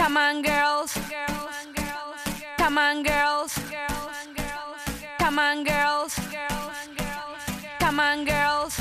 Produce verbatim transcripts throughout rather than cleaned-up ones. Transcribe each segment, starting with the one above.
Come on, girls. Come on, girls. Come on, girls. Come on, girls.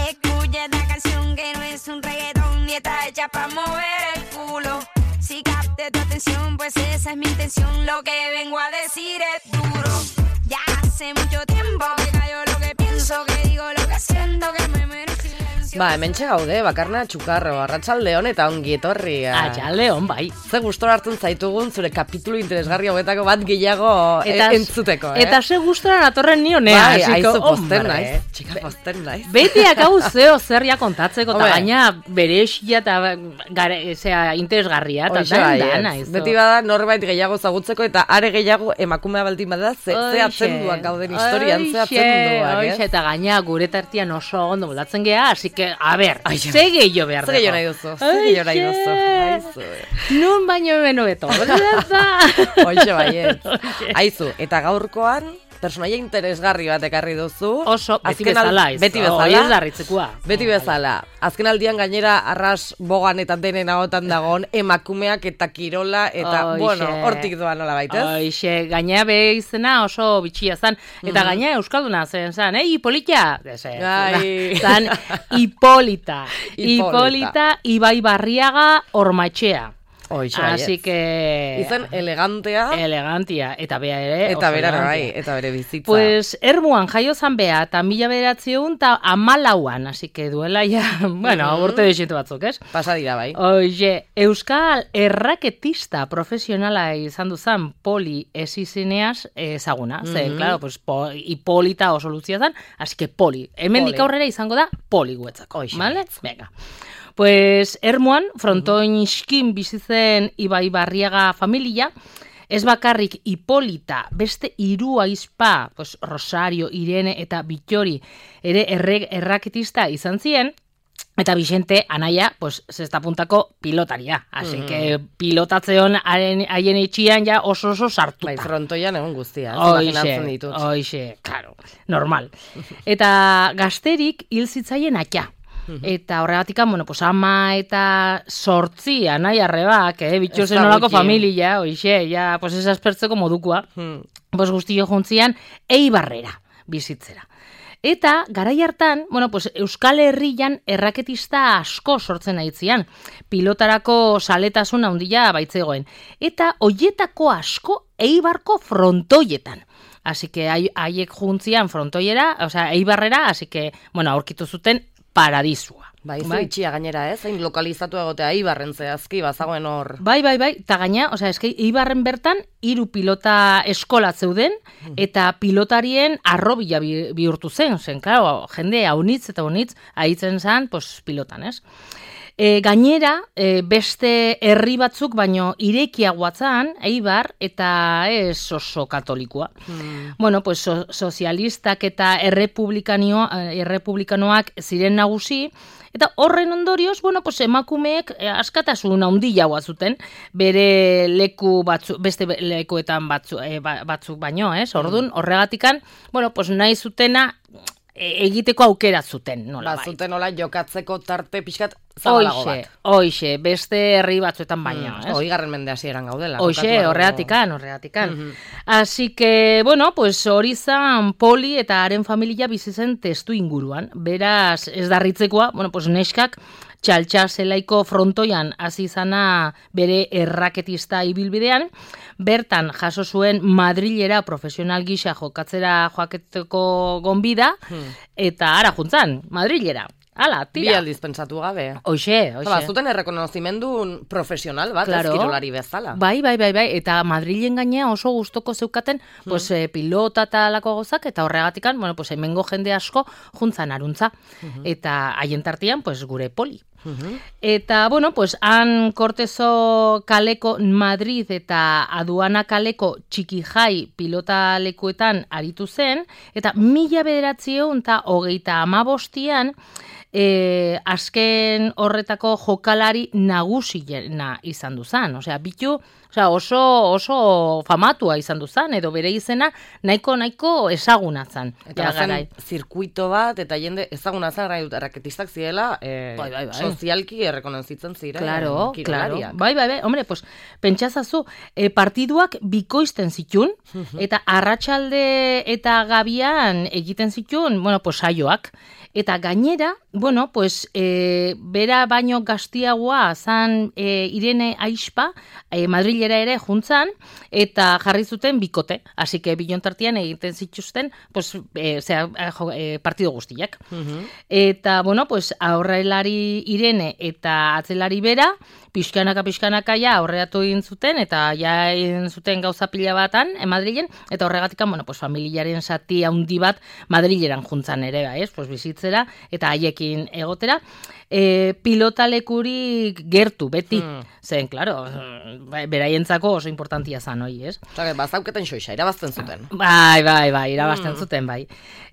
Escucha esta canción que no es un reggaetón ni está hecha para mover el culo. Si capte tu atención, pues esa es mi intención. Lo que vengo a decir es duro. Ya hace mucho tiempo que cayó lo que pienso, que digo lo que siento, que me merece. Ba, hementxe gaude, bakarna txukarro, arratsaldeon eta ongi etorria. Arratsaldeon, bai. Ze gustora hartzen zaitugun zure kapitulu interesgarri hauetako bat gehiago eta, e, entzuteko, eh? Eta ze gustora natorren nionea, bai, hasiko, aizu posten hombre. naiz, txika posten naiz. Betiak hau zeo zer ja kontatzeko, eta gaina beresia eta gare, zera, interesgarria, eta dan dana. Beti bada norbait gehiago zagutzeko, eta are gehiago emakumea baldin bada, ze, ze atzenduak gauden historian, ze atzenduak, eh? Eta gaina gure tartian oso ondo moldatzen geha, así que a ver, ze gehiago behar dugu. Ze gehiago nahi duzu, ze gehiago nahi duzu. Nun baino beno beto. Hoxe baiet. Aizu, eta gaurkoan, personaia interesgarri bat ekarri duzu. Oso, beti bezala. Beti bezala. Oiez darritzekua. Beti bezala. Azken aldian gainera arras bogan eta denen agotan dagoen emakumeak eta kirola eta, Oixe. Bueno, hortik doa nola baitez. Oixe, gaina be izena oso bitxia zan. Eta mm. gaina euskalduna zen zan, eh, Hipolita? Ai. Zan, Hipolita. Hipolita, Ibai Barriaga Ormaetxea. Oixe, así yes. que... Izen elegantea. Elegantia. Eta bea ere. Eta bera bai, eta bere bizitza. Pues, ermuan jaio zan bea, eta mila bederatziun, eta amalauan, así que duela ja, bueno, mm-hmm. urte desitu batzuk, ez? Pasa dira bai. Oie, euskal erraketista profesionala izan duzan Poli esizineaz ezaguna. Mm-hmm. Ze, claro, pues, po, Hipolita oso luzia zan, así que Poli. Hemendik aurrera izango da Poli guetzako. Oixe. Vale? Venga. Pues, ermuan, frontoin iskin bizitzen Ibai Barriaga familia, ez bakarrik Hipolita, beste hiru aizpa, pues, Rosario, Irene eta Bittori ere erre, erraketista izan ziren, eta Vicente anaia, pues, zesta puntako pilotaria. Así mm. que pilotatzeon haien itxian ja oso oso sartuta. Bai, frontoian egun guztia, imaginatzen ditut. Oixe, claro, normal. Eta gazterik hil zitzaien atia. Eta horregatikan, bueno, pues ama eta sortzi anai arrebak, eh, bitxozen nolako familia, oixe, ja, pues esas pertzeko modukua, hmm. pues guztio juntzian, Eibarrera bizitzera. Eta, garai hartan, bueno, pues Euskal Herrian erraketista asko sortzen aitzian, pilotarako saletasun handia baitzegoen. Eta hoietako asko Eibarko frontoietan. Así que haiek juntzian frontoiera, o sea, Eibarrera, así que, bueno, aurkitu zuten paradisua. Bai, bai. Itxia gainera, ez? Hain lokalizatu egotea Eibarren zehazki, bazagoen hor. Bai, bai, bai, eta gaina, osea, eski Eibarren bertan hiru pilota eskola zeuden, eta pilotarien arrobila bihurtu zen, zen, claro, jende haunitz eta haunitz aitzen zen, pues, pilotan, ez? E, gainera, e, beste herri batzuk, baino irekiagoatzan, Eibar, eta ez oso katolikoa. Hmm. Bueno, pues, so, sozialistak eta errepublikanoak ziren nagusi, eta horren ondorioz, bueno, pues, emakumeek askatasun handiagoa zuten, bere leku batzu, beste lekuetan batzu, e, batzuk baino, ez? Orduan, horregatikan, bueno, pues, nahi zutena egiteko aukera zuten, nola bai. Zuten nola jokatzeko tarte pixkat zabalago bat. Oixe, beste herri batzuetan baina, mm, ez? Oigarren mende hasieran gaudela. Oixe, horreatikan, horreatikan. Mm-hmm. Así que, bueno, pues hori zan Poli eta haren familia bizitzen testu inguruan. Beraz, ez darritzekoa, bueno, pues neskak txaltxa zelaiko frontoian hasi izana bere erraketista ibilbidean, bertan jaso zuen Madrilera profesional gisa jokatzera joaketeko gonbida, hmm. eta ara juntzan, Madrilera. Ala, tira. Bi aldiz pentsatu gabe. Oixe, oixe. Ba, zuten errekonozimendu profesional bat, claro. Ez kirolari bezala. Bai, bai, bai, bai, eta Madrilen gainea oso gustoko zeukaten, hmm. pues, eh, pilota eta alako gozak, eta horregatikan, bueno, pues, hemengo jende asko juntzan aruntza. Hmm. Eta haien tartian, pues, gure Poli. Uh-huh. Eta, bueno, pues, han Cortezo kaleko Madrid eta Aduana kaleko Txikijai pilota lekuetan aritu zen, eta mila bederatziehun eta hogeita hamabostian E, azken horretako jokalari nagusiena izan duzan. Osea, bitu, osea, oso, oso famatua izan duzan, edo bere izena nahiko nahiko ezagunatzen. Eta zen zirkuito bat, eta jende ezagunatzen gai dut, erraketistak ziela, e, bai, bai, bai. sozialki errekonozitzen ziren. Claro, claro. Bai, bai, bai. Hombre, pues, pentsazazu, e, partiduak bikoizten zitun, eta arratsalde eta gabian egiten zitun, bueno, pues, saioak. Eta gainera, bueno, pues, e, bera baino gaztiagoa zan e, Irene Aispa, e, Madrilera ere juntzan, eta jarri zuten bikote. Así que bilontartian egiten zituzten, pues, e, zera, e, partido guztiak. Uh-huh. Eta, bueno, pues, aurrelari Irene eta atzelari bera, pixkanaka, pixkanaka ja aurreatu egin zuten, eta ja egin zuten gauza pila batan, e, Madrilen, eta horregatik, bueno, pues, familiaren zati handi bat Madrileran juntzan ere, ba, ez? Pues, bizitzera, eta haiekin egotera. E, pilotalekurik gertu, beti. Hmm. Zen, klaro, beraientzako oso importantia zan, hoi, ez? Zage, bazauketen xoixa, irabazten zuten. Bai, bai, bai, irabazten hmm. zuten, bai.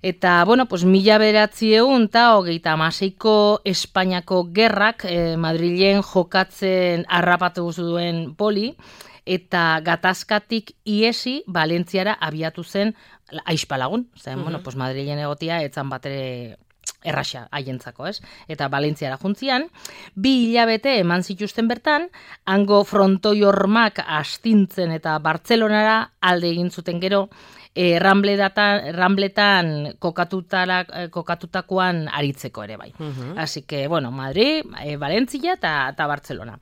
Eta, bueno, pues, mila beratziehun eta hogeita hamaseiko Espainiako gerrak eh, Madrilen jokatzen harrapatu duen poli, eta gatazkatik iesi Valentziara abiatu zen Aispa lagun. Zen, uh-huh. bueno, pues, Madrilen egotia etzan batere erraxa haientzako, ez? Eta Valentziara juntzian, bi hilabete eman zituzten bertan, hango frontoi hormak astintzen eta Bartzelonara alde egin zuten gero, e, Rambletan, Rambletan kokatutakoan aritzeko ere bai. Uh-huh. Así que, bueno, Madrid, e, Valentzia eta, eta Bartzelona.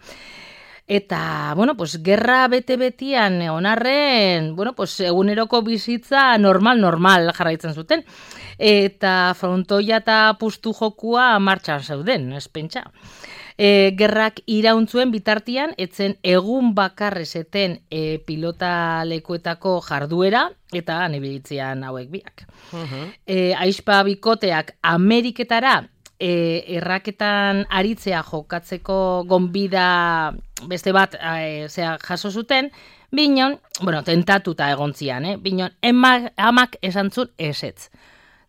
Eta, bueno, pues, gerra bete-betian onarren, bueno, pues, eguneroko bizitza normal-normal jarraitzen zuten. Eta frontoia eta pustu jokua martxan zeuden, ez pentsa. E, gerrak irauntzuen bitartian, etzen egun bakarrezeten e, pilota lekuetako jarduera, eta nebilitzean hauek biak. Uh-huh. E, Aispa bikoteak Ameriketara, E, erraketan aritzea jokatzeko gonbida beste bat e, zea jaso zuten, binon, bueno, tentatuta egontzian, eh? Binon, emak, amak esan zuen esetz.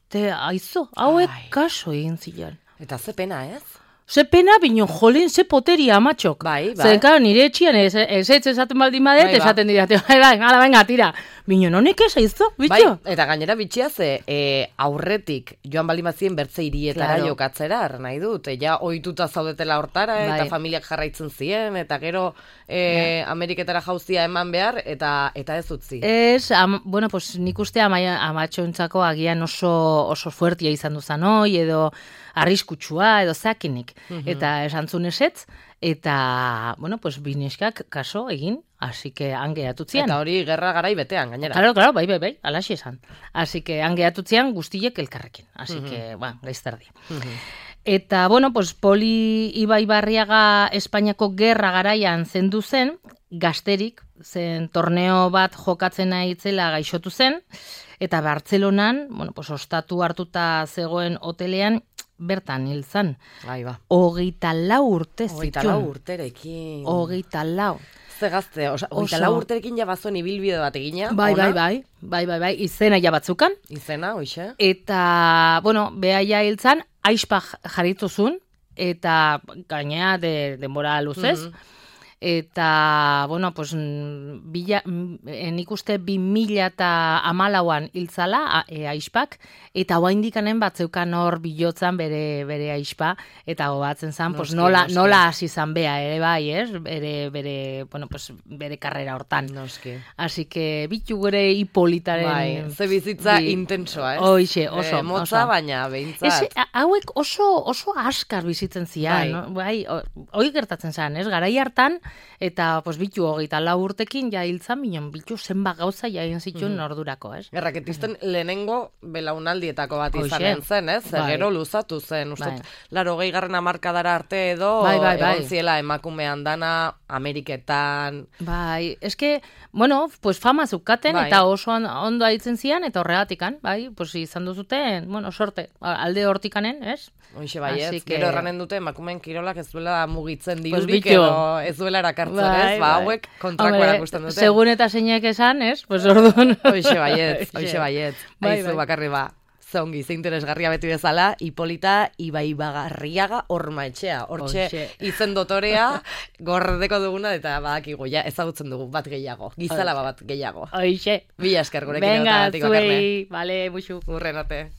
Te, aizo, hauek Ai. Kaso egin zilan. Eta ze pena, ez? Ze pena, binon, jolin, ze poteria amatxok. Bai, bai. Zer, karo, nire etxian ez, ez ez esaten baldin badet, bai, esaten dira, bai, bai, ala, venga, tira. Binon, honek ez aizo, bitxo? Bai, eta gainera bitxia ze, e, aurretik, joan baldin bazien bertze irietara claro. jokatzera, nahi dut, ja ohituta zaudetela hortara, bai. Eta familiak jarraitzen zien, eta gero e, ja. Ameriketara jauzia eman behar, eta eta ez utzi. Ez, am, bueno, pues nik uste ama, amatxontzako agian oso, oso fuertia izan duzan hoi, edo arriskutsua, edo zakinik. Uh-huh. Eta esantzun esetz, eta, bueno, pues bineskak kaso egin, así que hange atutzian. Eta hori gerra garai betean, gainera. Claro, claro, bai, bai, bai, alaxi esan. Así que hange atutzian guztiek elkarrekin. Así uh-huh. que, ba, gaizterdi. Uh-huh. Eta, bueno, pues Poli Ibai Barriaga Espainiako gerra garaian zendu zen, gazterik, zen torneo bat jokatzen aitzela gaixotu zen, eta Bartzelonan, bueno, pues ostatu hartuta zegoen hotelean, bertan hil zan. Bai, ba. Hogeita lau urte zituen. Hogeita lau urterekin. Hogeita lau. Ze gazte, hogeita lau urterekin ja bazuen ibilbide bat egina. Bai, bai, bai, bai, bai, bai, izena ja batzukan. Izena, hoxe. Eta, bueno, behaia hil zan, Aispa jarrituzun, eta gainea de, denbora luzez. Mm-hmm. Eta, bueno, pues, bila, nik uste bi mila eta hamalauan hiltzala e, Aispak, eta oaindikanen batzeukan hor bilotzan bere, bere Aispa, eta gobatzen zan, pues, nola, nola hasi zan bea, ere bai, ez? Bere, bere, bueno, pues, bere karrera hortan. Noski. Así que, bitu gure Hipolitaren... Bai, ze bizitza bi... intensoa, ez? Hoixe, oso, e, motza, oso. Baina, behintzat. Ez, hauek oso, oso askar bizitzen zian, bai. No? Bai, hoi gertatzen zan, ez? Garai hartan, eta, pues, bitu hogeita lau urtekin, ja hiltzan, binon, bitu zenba gauza ja egin zituen mm-hmm. ordurako, ez? Erraketisten lehenengo belaunaldietako bat izanen zen, ez? Bai. Gero luzatu zen, uste, bai. Laro gehi garren amarkadara arte edo, bai, bai, bai. Egon ziela emakumean dana, Ameriketan... Bai, eske, bueno, pues fama zukaten, bai. Eta oso ondo aitzen zian, eta horregatikan, bai, pues izan duzuten, bueno, sorte, alde hortikanen, ez? Hoxe baiet, que... gero erranen dute emakumeen kirolak ez duela mugitzen dirurik, pues edo ez duela erakartzen, bai, ez? Ba, hauek kontrako erakusten dute. Segun eta zeinek esan, ez? Pues orduan. Hoxe baiet, hoxe baiet. Bai, aizu bai. Bakarri ba. Zongi, ze interesgarria beti bezala, Hipolita Ibai Barriaga Horma etxea. Hortxe izen dotorea gordeko duguna, eta badakigu, ja, ezagutzen dugu bat gehiago. Gizalaba bat gehiago. Hoxe. Bila esker gurekin. Venga, zuei, bale, buxu. Urren arte.